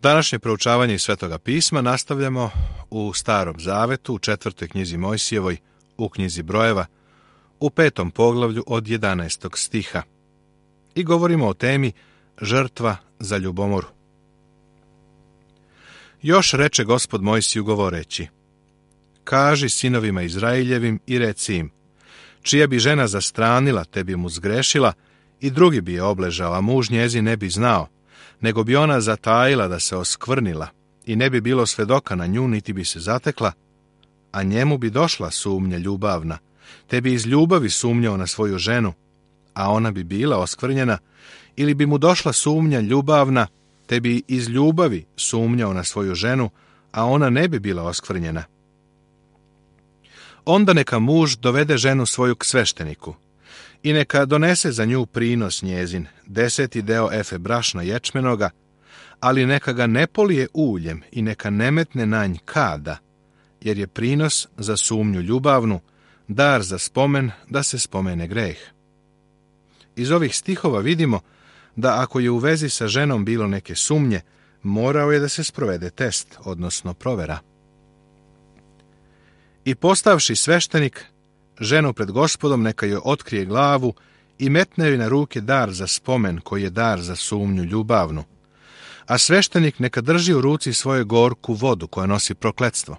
Današnje proučavanje iz Svetoga pisma nastavljamo u Starom zavetu, u 4. knjizi Mojsijevoj, u knjizi Brojeva, u 5. poglavlju od 11. stiha. I govorimo o temi žrtva za ljubomoru. Još reče Gospod Mojsiju govoreći: kaži sinovima Izraeljevim i reci im, čija bi žena zastranila, te bi mu zgrešila, i drugi bi je obležao, a muž njezin ne bi znao, nego bi ona zatajila da se oskvrnila, i ne bi bilo svedoka na nju, niti bi se zatekla, a njemu bi došla sumnja ljubavna, te bi iz ljubavi sumnjao na svoju ženu, a ona bi bila oskvrnjena, ili bi mu došla sumnja ljubavna, te bi iz ljubavi sumnjao na svoju ženu, a ona ne bi bila oskvrnjena. Onda neka muž dovede ženu svoju k svešteniku i neka donese za nju prinos njezin, 10. deo efe brašna ječmenoga, ali neka ga ne polije uljem i neka ne metne na nj kada, jer je prinos za sumnju ljubavnu, dar za spomen, da se spomene greh. Iz ovih stihova vidimo da ako je u vezi sa ženom bilo neke sumnje, morao je da se sprovede test, odnosno provera. I postavši sveštenik ženu pred Gospodom, neka joj otkrije glavu i metne joj na ruke dar za spomen, koji je dar za sumnju ljubavnu. A sveštenik neka drži u ruci svoju gorku vodu koja nosi prokletstvo.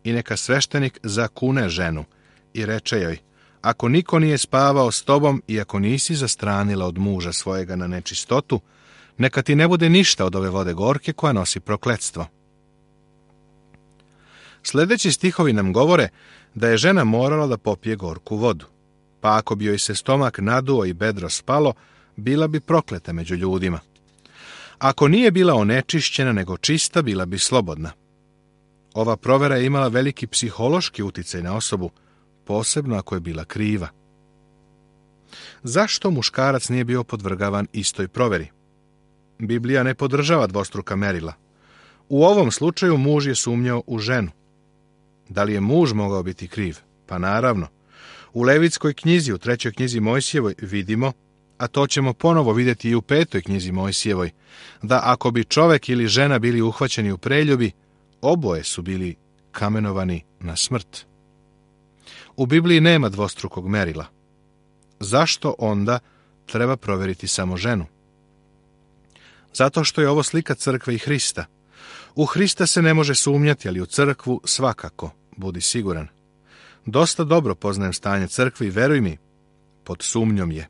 I neka sveštenik zakune ženu i reče joj: ako niko nije spavao s tobom i ako nisi zastranila od muža svojega na nečistotu, neka ti ne bude ništa od ove vode gorke koja nosi prokletstvo. Sljedeći stihovi nam govore da je žena morala da popije gorku vodu, pa ako bi joj se stomak naduo i bedro spalo, bila bi prokleta među ljudima. Ako nije bila onečišćena nego čista, bila bi slobodna. Ova provera je imala veliki psihološki uticaj na osobu, posebno ako je bila kriva. Zašto muškarac nije bio podvrgavan istoj proveri? Biblija ne podržava dvostruka merila. U ovom slučaju muž je sumnjao u ženu. Da li je muž mogao biti kriv? Pa naravno. U Levitskoj knjizi, u 3. knjizi Mojsijevoj vidimo, a to ćemo ponovo vidjeti i u 5. knjizi Mojsijevoj, da ako bi čovek ili žena bili uhvaćeni u preljubi, oboje su bili kamenovani na smrt. U Bibliji nema dvostrukog merila. Zašto onda treba provjeriti samo ženu? Zato što je ovo slika crkve i Hrista. U Hrista se ne može sumnjati, ali u crkvu svakako, budi siguran. Dosta dobro poznajem stanje crkve i veruj mi, pod sumnjom je.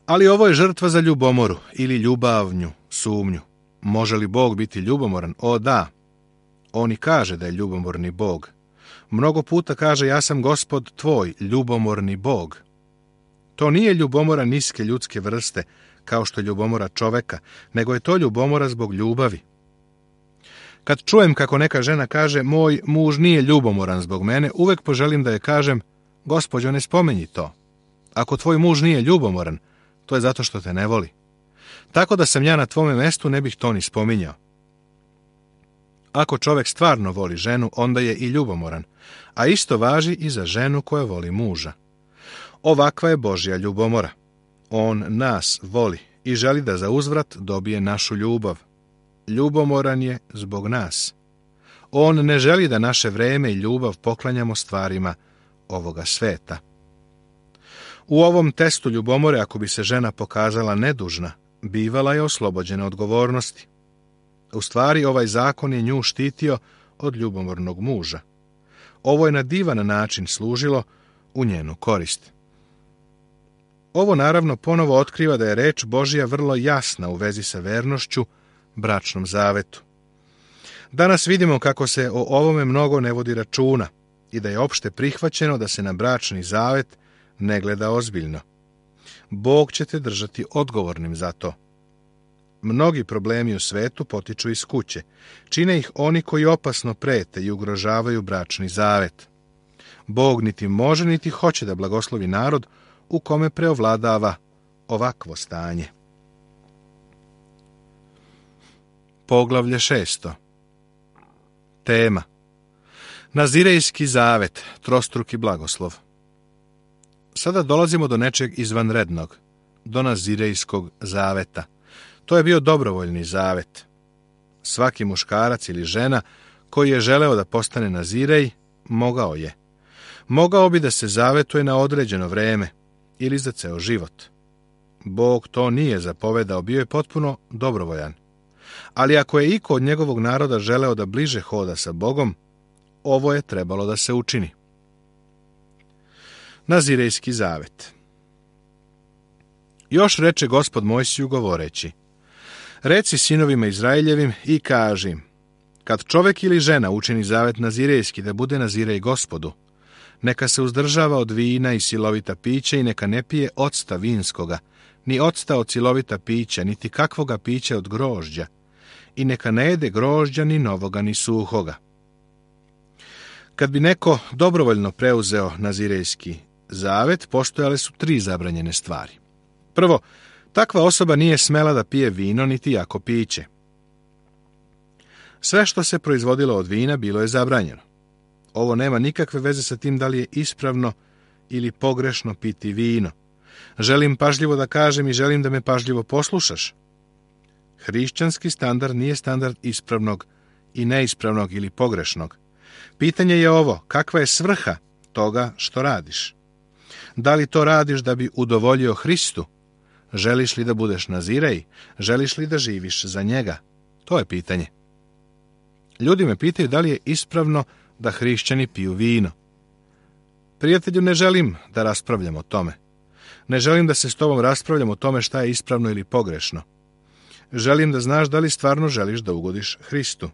Ali ovo je žrtva za ljubomoru ili ljubavnju, sumnju. Može li Bog biti ljubomoran? O da. On i kaže da je ljubomorni Bog. Mnogo puta kaže: ja sam Gospod tvoj, ljubomorni Bog. To nije ljubomora niske ljudske vrste, kao što je ljubomora čoveka, nego je to ljubomora zbog ljubavi. Kad čujem kako neka žena kaže: moj muž nije ljubomoran zbog mene, uvek poželim da je kažem: gospođo, ne spomenji to. Ako tvoj muž nije ljubomoran, to je zato što te ne voli. Tako da sam ja na tvome mestu ne bih to ni spominjao. Ako čovek stvarno voli ženu, onda je i ljubomoran, a isto važi i za ženu koja voli muža. Ovakva je Božja ljubomora. On nas voli i želi da za uzvrat dobije našu ljubav. Ljubomoran je zbog nas. On ne želi da naše vreme i ljubav poklanjamo stvarima ovoga sveta. U ovom testu ljubomore, ako bi se žena pokazala nedužna, bivala je oslobođena odgovornosti. U stvari, ovaj zakon je nju štitio od ljubomornog muža. Ovo je na divan način služilo u njenu korist. Ovo naravno ponovo otkriva da je reč Božja vrlo jasna u vezi sa vernošću, bračnom zavetu. Danas vidimo kako se o ovome mnogo ne vodi računa i da je opšte prihvaćeno da se na bračni zavet ne gleda ozbiljno. Bog će te držati odgovornim za to. Mnogi problemi u svetu potiču iz kuće. Čine ih oni koji opasno prete i ugrožavaju bračni zavet. Bog niti može niti hoće da blagoslovi narod u kome preovladava ovakvo stanje. Poglavlje 6. Tema: Nazirejski zavet, trostruki blagoslov. Sada dolazimo do nečeg izvanrednog, do Nazirejskog zaveta. To je bio dobrovoljni zavet. Svaki muškarac ili žena koji je želeo da postane nazirej, mogao je. Mogao bi da se zavetuje na određeno vreme ili za ceo život. Bog to nije zapovedao, bio je potpuno dobrovoljan. Ali ako je iko od njegovog naroda želeo da bliže hoda sa Bogom, ovo je trebalo da se učini. Nazirejski zavet. Još reče Gospod Mojsiju govoreći: Reci sinovima Izraeljevim i kaži im, kad čovek ili žena učini zavet nazirejski da bude nazirej Gospodu, neka se uzdržava od vina i silovita pića i neka ne pije octa vinskoga, ni octa od silovita pića, niti kakvoga pića od grožđa, i neka ne jede grožđa ni novoga ni suhoga. Kad bi neko dobrovoljno preuzeo nazirejski zavet, postojale su 3 zabranjene stvari. Prvo, takva osoba nije smela da pije vino niti jako piće. Sve što se proizvodilo od vina bilo je zabranjeno. Ovo nema nikakve veze sa tim da li je ispravno ili pogrešno piti vino. Želim pažljivo da kažem i želim da me pažljivo poslušaš. Hrišćanski standard nije standard ispravnog i neispravnog ili pogrešnog. Pitanje je ovo: kakva je svrha toga što radiš? Da li to radiš da bi udovoljio Hristu? Želiš li da budeš nazirej? Želiš li da živiš za njega? To je pitanje. Ljudi me pitaju da li je ispravno da hrišćani piju vino. Prijatelju, ne želim da raspravljam o tome. Ne želim da se s tobom raspravljam o tome šta je ispravno ili pogrešno. Želim da znaš da li stvarno želiš da ugodiš Hristu.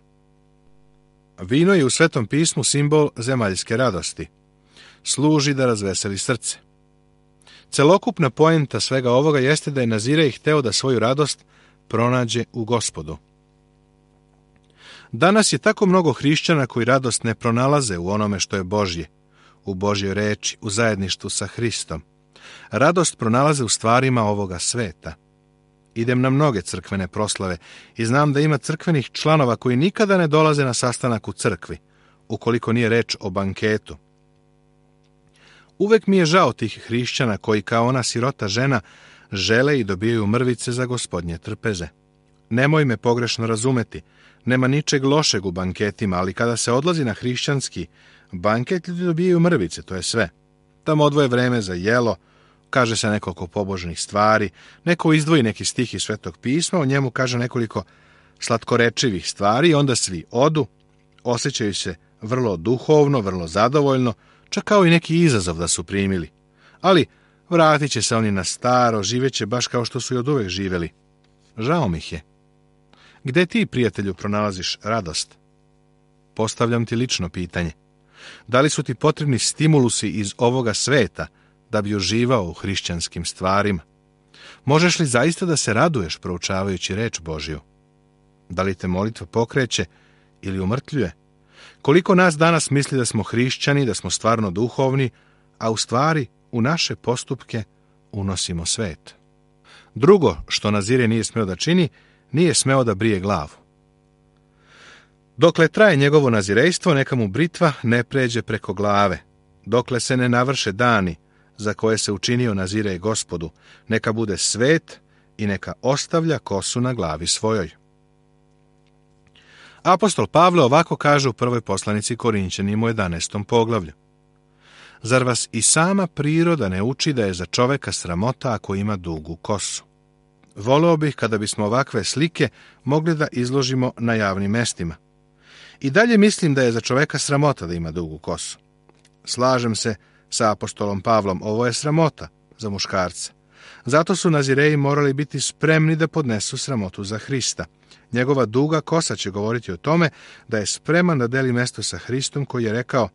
Vino je u Svetom pismu simbol zemaljske radosti. Služi da razveseli srce. Celokupna poenta svega ovoga jeste da je Nazirej hteo da svoju radost pronađe u Gospodu. Danas je tako mnogo hrišćana koji radost ne pronalaze u onome što je Božje, u Božjoj reči, u zajedništvu sa Hristom. Radost pronalaze u stvarima ovoga sveta. Idem na mnoge crkvene proslave i znam da ima crkvenih članova koji nikada ne dolaze na sastanak u crkvi, ukoliko nije reč o banketu. Uvek mi je žao tih hrišćana koji, kao ona sirota žena, žele i dobijaju mrvice za Gospodnje trpeze. Nemoj me pogrešno razumeti, nema ničeg lošeg u banketima, ali kada se odlazi na hrišćanski banket, ljudi dobijaju mrvice, to je sve. Tamo odvoje vreme za jelo, kaže se nekoliko pobožnih stvari, neko izdvoji neki stih iz Svetog pisma, o njemu kaže nekoliko slatkorečivih stvari i onda svi odu, osjećaju se vrlo duhovno, vrlo zadovoljno, čak kao i neki izazov da su primili. Ali vratit će se oni na staro, živeće baš kao što su i oduvek živeli. Žao mi ih je. Gde ti, prijatelju, pronalaziš radost? Postavljam ti lično pitanje. Da li su ti potrebni stimulusi iz ovoga sveta da bi uživao u hrišćanskim stvarima? Možeš li zaista da se raduješ proučavajući reč Božju? Da li te molitva pokreće ili umrtljuje? Koliko nas danas misli da smo hrišćani, da smo stvarno duhovni, a u stvari u naše postupke unosimo svet. Drugo što Nazirije nije smeo da čini, nije smeo da brije glavu. Dokle traje njegovo nazirejstvo, neka mu britva ne pređe preko glave. Dokle se ne navrše dani za koje se učinio Nazirej Gospodu, neka bude svet i neka ostavlja kosu na glavi svojoj. Apostol Pavle ovako kaže u prvoj poslanici Korinćanima u 11. poglavlju. Zar vas i sama priroda ne uči da je za čoveka sramota ako ima dugu kosu? Voleo bih kada bismo ovakve slike mogli da izložimo na javnim mestima. I dalje mislim da je za čoveka sramota da ima dugu kosu. Slažem se sa apostolom Pavlom, ovo je sramota za muškarce. Zato su Nazireji morali biti spremni da podnesu sramotu za Hrista. Njegova duga kosa će govoriti o tome da je spreman da deli mesto sa Hristom koji je rekao: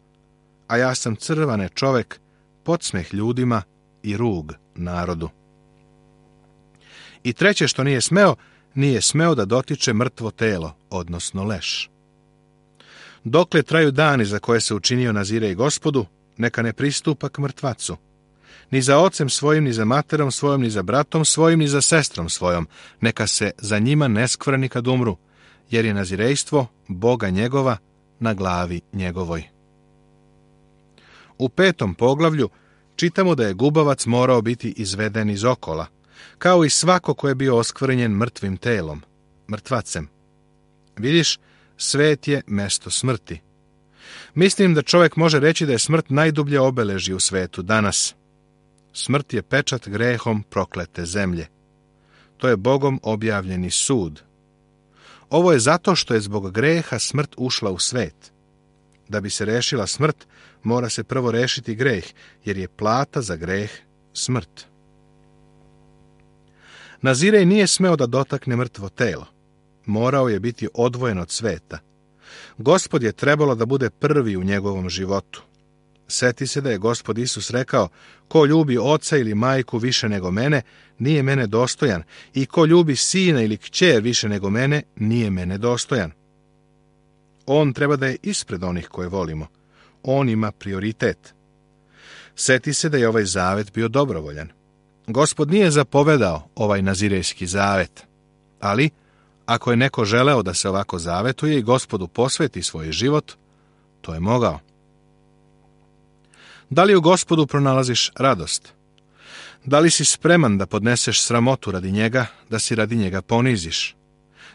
a ja sam crvane čovek, podsmeh ljudima i rug narodu. I treće što nije smeo da dotiče mrtvo telo, odnosno leš. Dokle traju dani za koje se učinio Nazirej Gospodu, neka ne pristupa k mrtvacu. Ni za ocem svojim, ni za materom svojom, ni za bratom svojim, ni za sestrom svojom. Neka se za njima ne skvrni kad umru, jer je nazirejstvo Boga njegova na glavi njegovoj. U 5. poglavlju čitamo da je gubavac morao biti izveden iz okola, kao i svako ko je bio oskvrnjen mrtvim telom, mrtvacem. Vidiš, svet je mesto smrti. Mislim da čovjek može reći da je smrt najdublje obeležje u svetu danas. Smrt je pečat grehom proklete zemlje. To je Bogom objavljeni sud. Ovo je zato što je zbog greha smrt ušla u svet. Da bi se rešila smrt, mora se prvo rešiti greh, jer je plata za greh smrt. Nazirej nije smeo da dotakne mrtvo telo. Morao je biti odvojen od sveta. Gospod je trebalo da bude prvi u njegovom životu. Seti se da je Gospod Isus rekao, ko ljubi oca ili majku više nego mene, nije mene dostojan, i ko ljubi sina ili kćer više nego mene, nije mene dostojan. On treba da je ispred onih koje volimo. On ima prioritet. Seti se da je ovaj zavet bio dobrovoljan. Gospod nije zapovedao ovaj nazirejski zavet, ali ako je neko želeo da se ovako zavetuje i Gospodu posveti svoj život, to je mogao. Da li u Gospodu pronalaziš radost? Da li si spreman da podneseš sramotu radi njega, da si radi njega poniziš?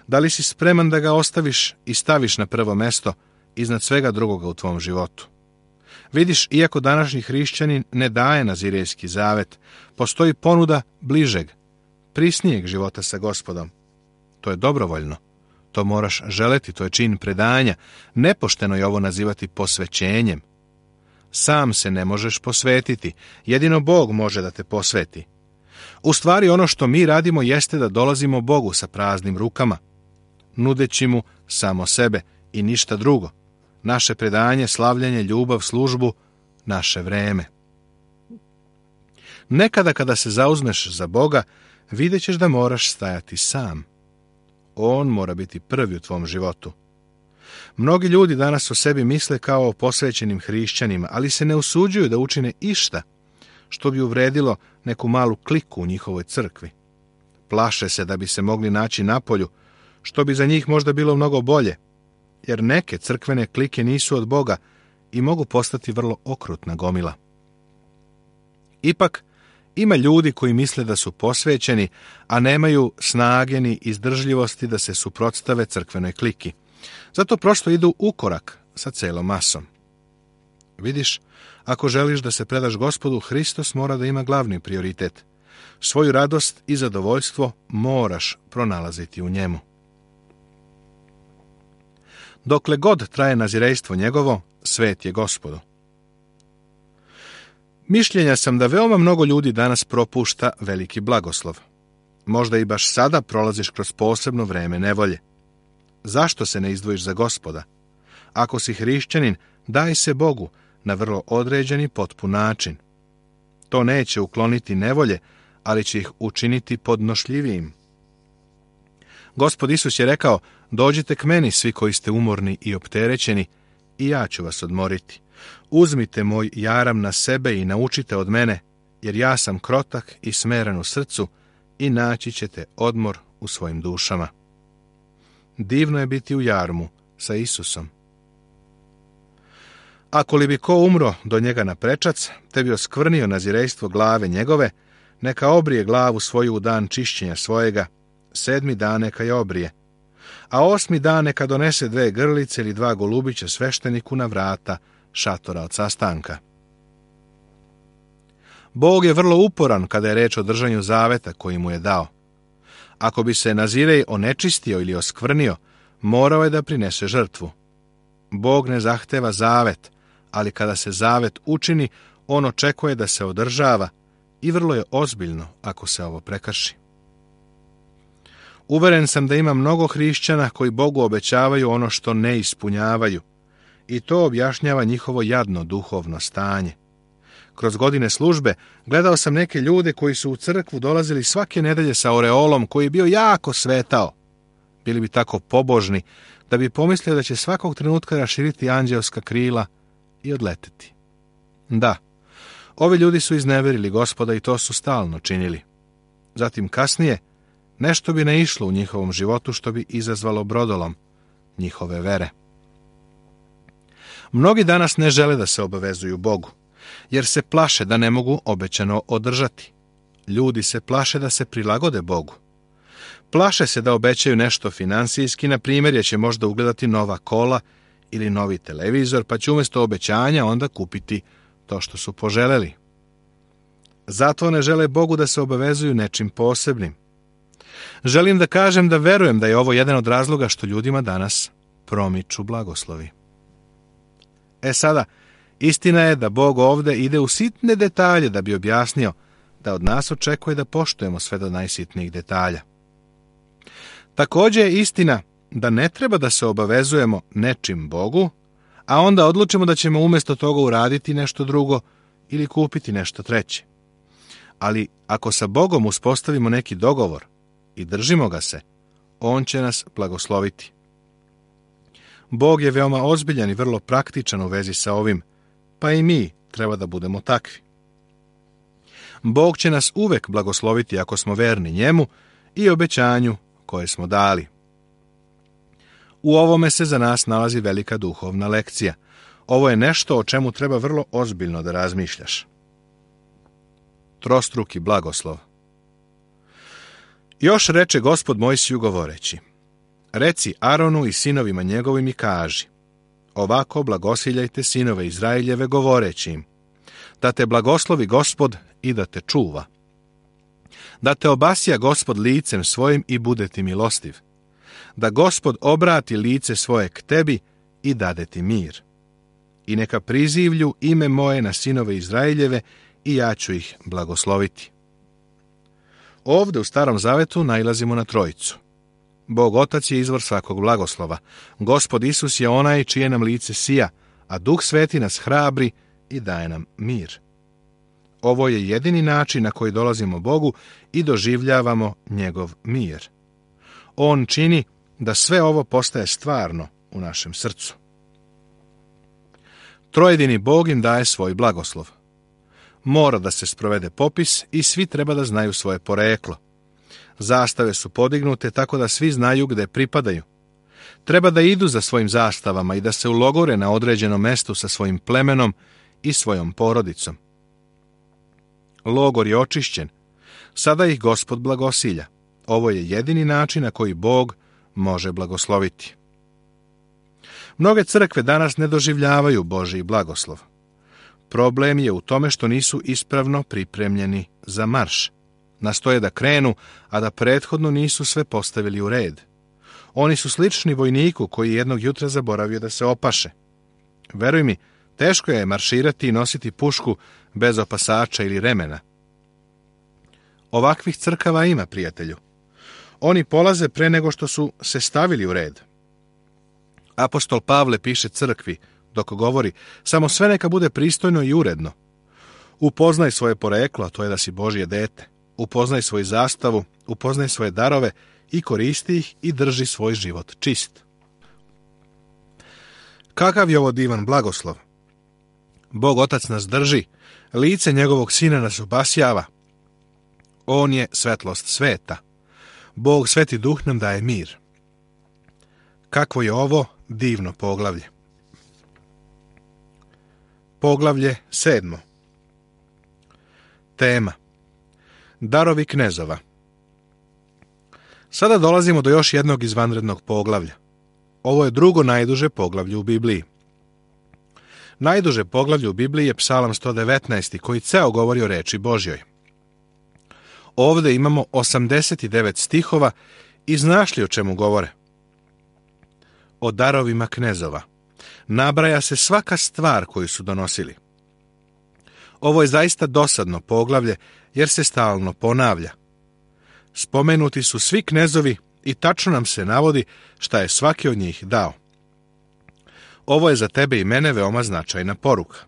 Da li si spreman da ga ostaviš i staviš na prvo mesto iznad svega drugoga u tvom životu? Vidiš, iako današnji hrišćanin ne daje nazirejski zavet, postoji ponuda bližeg, prisnijeg života sa Gospodom. To je dobrovoljno. To moraš želeti, to je čin predanja. Nepošteno je ovo nazivati posvećenjem. Sam se ne možeš posvetiti, jedino Bog može da te posveti. U stvari ono što mi radimo jeste da dolazimo Bogu sa praznim rukama, nudeći mu samo sebe i ništa drugo. Naše predanje, slavljenje, ljubav, službu, naše vreme. Nekada kada se zauzmeš za Boga, vidjet ćeš da moraš stajati sam. On mora biti prvi u tvom životu. Mnogi ljudi danas o sebi misle kao o posvećenim hrišćanima, ali se ne usuđuju da učine išta što bi uvredilo neku malu kliku u njihovoj crkvi. Plaše se da bi se mogli naći napolju, što bi za njih možda bilo mnogo bolje, jer neke crkvene klike nisu od Boga i mogu postati vrlo okrutna gomila. Ipak, ima ljudi koji misle da su posvećeni, a nemaju snage ni izdržljivosti da se suprotstave crkvenoj kliki. Zato prosto idu u korak sa celom masom. Vidiš, ako želiš da se predaš Gospodu, Hristos mora da ima glavni prioritet. Svoju radost i zadovoljstvo moraš pronalaziti u njemu. Dokle god traje nazirejstvo njegovo, svet je Gospodu. Mišljenja sam da veoma mnogo ljudi danas propušta veliki blagoslov. Možda i baš sada prolaziš kroz posebno vreme nevolje. Zašto se ne izdvojiš za Gospoda? Ako si hrišćanin, daj se Bogu na vrlo određen i potpun način. To neće ukloniti nevolje, ali će ih učiniti podnošljivijim. Gospod Isus je rekao, dođite k meni svi koji ste umorni i opterećeni, i ja ću vas odmoriti. Uzmite moj jaram na sebe i naučite od mene, jer ja sam krotak i smeren u srcu, i naći ćete odmor u svojim dušama. Divno je biti u jarmu sa Isusom. Ako li bi ko umro do njega na prečac, te bi oskvrnio nazirejstvo glave njegove, neka obrije glavu svoju u dan čišćenja svojega, 7. dan neka je obrije, a 8. dan neka donese 2 grlice ili 2 golubića svešteniku na vrata šatora od sastanka. Bog je vrlo uporan kada je reč o držanju zaveta koji mu je dao. Ako bi se nazirej onečistio ili oskvrnio, morao je da prinese žrtvu. Bog ne zahteva zavet, ali kada se zavet učini, on očekuje da se održava i vrlo je ozbiljno ako se ovo prekrši. Uveren sam da ima mnogo hrišćana koji Bogu obećavaju ono što ne ispunjavaju, i to objašnjava njihovo jadno duhovno stanje. Kroz godine službe gledao sam neke ljude koji su u crkvu dolazili svake nedelje sa oreolom koji je bio jako svetao. Bili bi tako pobožni da bi pomislio da će svakog trenutka raširiti anđelska krila i odleteti. Da, ovi ljudi su izneverili Gospoda i to su stalno činili. Zatim kasnije nešto bi ne išlo u njihovom životu što bi izazvalo brodolom njihove vere. Mnogi danas ne žele da se obavezuju Bogu, jer se plaše da ne mogu obećano održati. Ljudi se plaše da se prilagode Bogu. Plaše se da obećaju nešto finansijski, na primjer, jer će možda ugledati nova kola ili novi televizor, pa će umjesto obećanja onda kupiti to što su poželeli. Zato ne žele Bogu da se obavezuju nečim posebnim. Želim da kažem da verujem da je ovo jedan od razloga što ljudima danas promiču blagoslovi. Sada, istina je da Bog ovdje ide u sitne detalje da bi objasnio da od nas očekuje da poštujemo sve do najsitnijih detalja. Također je istina da ne treba da se obavezujemo nečim Bogu, a onda odlučimo da ćemo umjesto toga uraditi nešto drugo ili kupiti nešto treće. Ali ako sa Bogom uspostavimo neki dogovor i držimo ga se, on će nas blagosloviti. Bog je veoma ozbiljan i vrlo praktičan u vezi sa ovim, pa i mi treba da budemo takvi. Bog će nas uvek blagosloviti ako smo verni njemu i obećanju koje smo dali. U ovome se za nas nalazi velika duhovna lekcija. Ovo je nešto o čemu treba vrlo ozbiljno da razmišljaš. Trostruki blagoslov. Još reče Gospod Mojsiju govoreći: Reci Aronu i sinovima njegovim i kaži: Ovako blagosiljajte sinove Izraeljeve govoreći im: Da te blagoslovi Gospod i da te čuva. Da te obasja Gospod licem svojim i bude ti milostiv. Da Gospod obrati lice svoje k tebi i dade ti mir. I neka prizivlju ime moje na sinove Izraeljeve i ja ću ih blagosloviti. Ovdje u Starom Zavetu nailazimo na trojicu. Bog Otac je izvor svakog blagoslova. Gospod Isus je onaj čije nam lice sija, a Duh Sveti nas hrabri i daje nam mir. Ovo je jedini način na koji dolazimo Bogu i doživljavamo njegov mir. On čini da sve ovo postaje stvarno u našem srcu. Trojedini Bog im daje svoj blagoslov. Mora da se sprovede popis i svi treba da znaju svoje poreklo. Zastave su podignute tako da svi znaju gde pripadaju. Treba da idu za svojim zastavama i da se ulogore na određenom mestu sa svojim plemenom i svojom porodicom. Logor je očišćen. Sada ih Gospod blagosilja. Ovo je jedini način na koji Bog može blagosloviti. Mnoge crkve danas ne doživljavaju Božji blagoslov. Problem je u tome što nisu ispravno pripremljeni za marš. Nastoje da krenu, a da prethodno nisu sve postavili u red. Oni su slični vojniku koji jednog jutra zaboravio da se opaše. Veruj mi, teško je marširati i nositi pušku bez opasača ili remena. Ovakvih crkava ima, prijatelju. Oni polaze pre nego što su se stavili u red. Apostol Pavle piše crkvi, dok govori: samo sve neka bude pristojno i uredno. Upoznaj svoje poreklo, a to je da si Božje dete. Upoznaj svoju zastavu, upoznaj svoje darove i koristi ih i drži svoj život čist. Kakav je ovo divan blagoslov? Bog Otac nas drži, lice njegovog Sina nas obasjava. On je svetlost sveta. Bog Sveti Duh nam daje mir. Kakvo je ovo divno poglavlje? Poglavlje 7. Tema: Darovi knezova. Sada dolazimo do još jednog izvanrednog poglavlja. Ovo je drugo najduže poglavlje u Bibliji. Najduže poglavlje u Bibliji je Psalam 119. koji ceo govori o reči Božjoj. Ovdje imamo 89 stihova i znaš li o čemu govore? O darovima knezova. Nabraja se svaka stvar koju su donosili. Ovo je zaista dosadno poglavlje jer se stalno ponavlja. Spomenuti su svi knezovi i tačno nam se navodi šta je svaki od njih dao. Ovo je za tebe i mene veoma značajna poruka.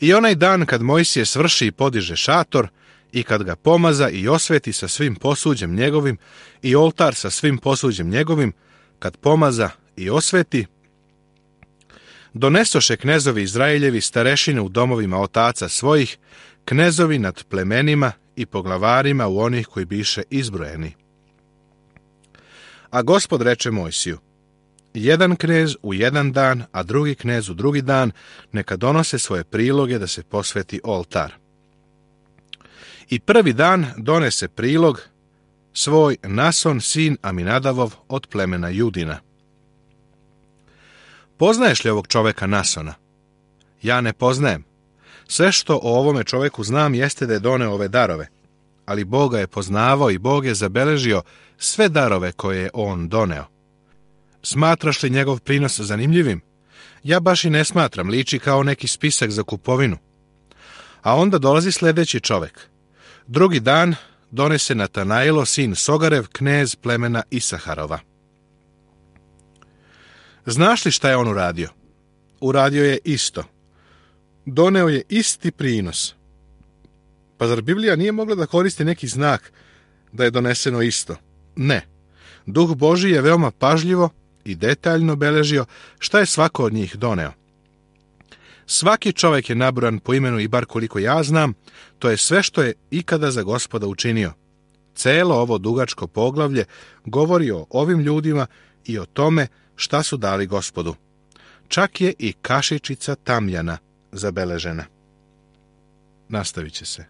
I onaj dan kad Mojsije svrši i podiže šator, i kad ga pomaza i osveti sa svim posuđem njegovim, i oltar sa svim posuđem njegovim, kad pomaza i osveti, donesoše knezovi Izraeljevi starešine u domovima otaca svojih, knezovi nad plemenima i poglavarima u onih koji biše izbrojeni. A Gospod reče Mojsiju: jedan knez u jedan dan, a drugi knez u drugi dan, neka donose svoje priloge da se posveti oltar. I prvi dan donese prilog svoj Nason, sin Aminadavov od plemena Judina. Poznaješ li ovog čoveka Nasona? Ja ne poznajem. Sve što o ovome čoveku znam jeste da je doneo ove darove, ali Bog ga je poznavao i Bog je zabeležio sve darove koje je on doneo. Smatraš li njegov prinos zanimljivim? Ja baš i ne smatram, liči kao neki spisak za kupovinu. A onda dolazi sljedeći čovek. Drugi dan donese Natanailo, sin Sogarev, knez plemena Isaharova. Znaš li šta je on uradio? Uradio je isto. Doneo je isti prinos. Pa zar Biblija nije mogla da koristi neki znak da je doneseno isto? Ne. Duh Božji je veoma pažljivo i detaljno beležio šta je svako od njih doneo. Svaki čovjek je nabrojan po imenu i bar koliko ja znam, to je sve što je ikada za Gospoda učinio. Celo ovo dugačko poglavlje govori o ovim ljudima i o tome šta su dali Gospodu. Čak je i kašičica tamjana zabeležena. Nastavit će se.